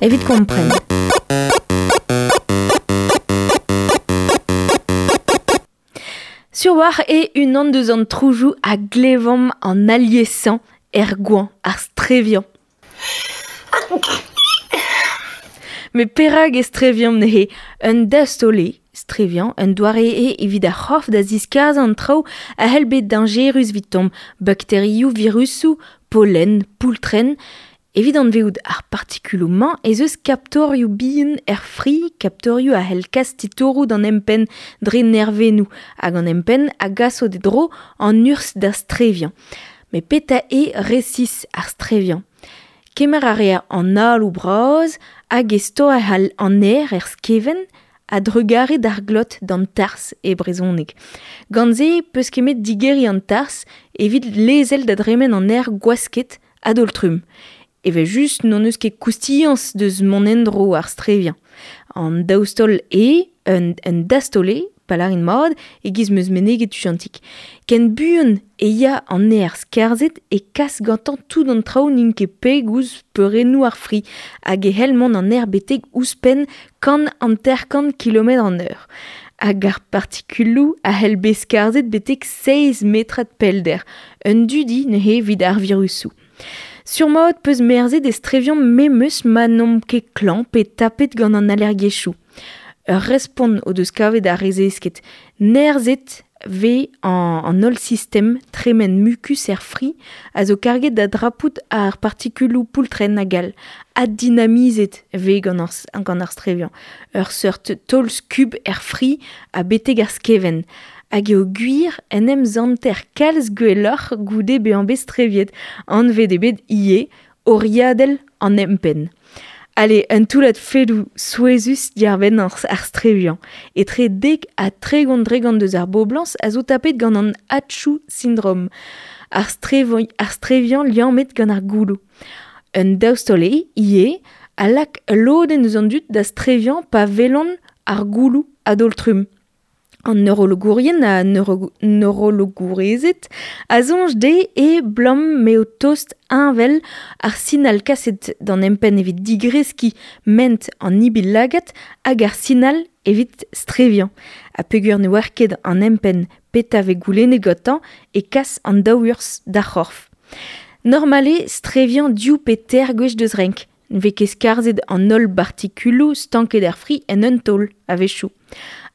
Evit kompren. Sur war e unan deus an troujoù a glevomp an aliesañ er goañ, ar streviañ. Met perak e streviomp neuze? Un dastaol eo streviañ, un doare eo evit ar c'horf da ziskarzhañ an traoù a c'hell bet dañjerus evitomp, bakterioù, virusoù, pollen, poultrenn. Evit anvezout ar partikuloù-mañ ez eus kaptorioù bihan er fri, kaptorioù a c'hell kas titouroù d'an empenn dre nervennoù, hag an empenn a gaso d'e dro an urzh da streviañ. Met petra eo resis ar streviañ? Kemer a reer an aloù bras hag e stoer an aer er skevent a-drugarez d'ar glot d'an tarzh e brezhoneg. Gant se 'peus ket digeriñ an tarzh evit lezel da dremen an aer gwasket a-daol-trumm. Evel-just n'hon eus ket koustiañs deus mont en-dro ar streviañ. An daoustol eo un, un dastaol eo, pa lârin mat, e-giz 'm eus meneget tuchantik. Ken buan e ya an aer skarzhet e kas gantañ tout an traoù n'int ket peg ouzh peurennoù ar fri hag e c'hell mont an aer betek ouzhpenn 150 kilometr an eur. Hag ar partikuloù a c'hell bet skarzhet betek seizh metrad pellder. Un dudi neuze evit ar virusoù. Sur-mat 'peus merzet e streviomp memes ma n'omp ket klañv pe tapet gant an allergiezhioù. Ur respont o deus kavet ar re zesket. Nerzhet 'vez an holl sistem tremen mukus er fri a zo karget da drapout ar partikuloù poultrenn hag all. Addinamizet 'vez gant ar, gant ar streviañ. Ur seurt taol-skub er fri ha betek ar skevent. Hag eo gwir en em zanter kalz gwelloc'h goude bezañ bet streviet. Anvet eo bet ivez oriadell an empenn. Ale, un toullad fedoù souezhus diàr-benn ar streviañ. Etre 10 ha 30% deus ar boblañs a zo tapet gant an Atchou syndrom, ar ar streviañ liammet gant ar gouloù. Un daoustol eo ivez a lak ul lodenn eus an dud da streviañ pa welont ar gouloù a-daol-trumm. An neurologourien ha neurologourezed a soñj dezhe eo 'blam m'eo tost heñvel ar sinal kaset d'an empenn evit digreskiñ ment an ibil-lagad hag ar sinal evit streviañ. Ha peogwir ne oar ket an empenn petra 'vez goulennet gantañ e kas an daou urzh d'ar c'horf. Normal eo streviañ div pe teir gwech deus renk. Ne vez ket skarzhet an holl bartikuloù stanket er fri en un taol a-wechoù.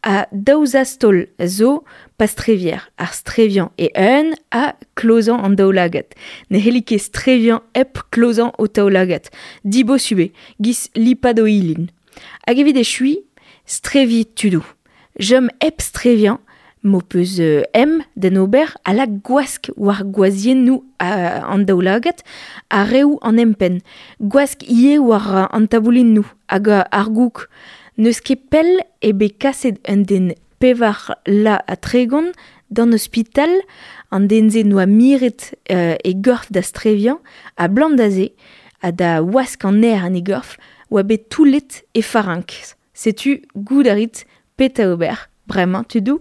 Ha daou zastaol zo pa strevier, ar streviañ e-un ha klozañ an daoulagad. Ne c'helli ket streviañ hep klozañ ho taoulagad. Dibosubl eo, 'giz lipat ho ilin. Hag evit echuiñ, streviñ tudoù. Chom hep streviañ, m'ho peus em d'en ober a lak gwask war gwazhiennoù an daoulagad ha reoù an empenn. Gwask ivez war an taboulinoù hag ar goûg. N'eus ket pell eo bet kaset un den 34 ha 30 d'an ospital. An den-se 'noa miret e gorf da streviañ ha 'blam da se ha da wask an aer en e gorf oa bet toullet e farinks. Setu goût a rit petra ober bremañ tudoù.